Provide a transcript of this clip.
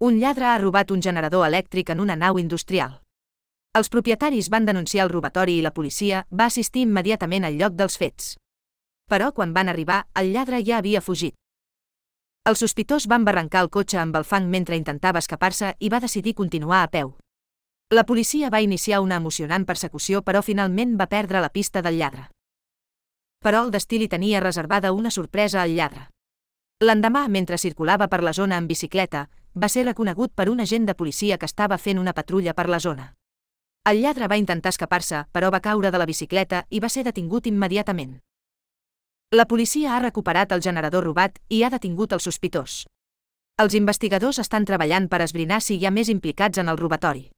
Un lladre ha robat un generador elèctric en una nau industrial. Els propietaris van denunciar el robatori i la policia va assistir immediatament al lloc dels fets. Però quan van arribar, el lladre ja havia fugit. El sospitós va embarrancar el cotxe amb el fang mentre intentava escapar-se i va decidir continuar a peu. La policia va iniciar una emocionant persecució però finalment va perdre la pista del lladre. Però el destí li tenia reservada una sorpresa al lladre. L'endemà, mentre circulava per la zona en bicicleta, va ser reconegut per un agent de policia que estava fent una patrulla per la zona. El lladre va intentar escapar-se, però va caure de la bicicleta i va ser detingut immediatament. La policia ha recuperat el generador robat i ha detingut el sospitós. Els investigadors estan treballant per esbrinar si hi ha més implicats en el robatori.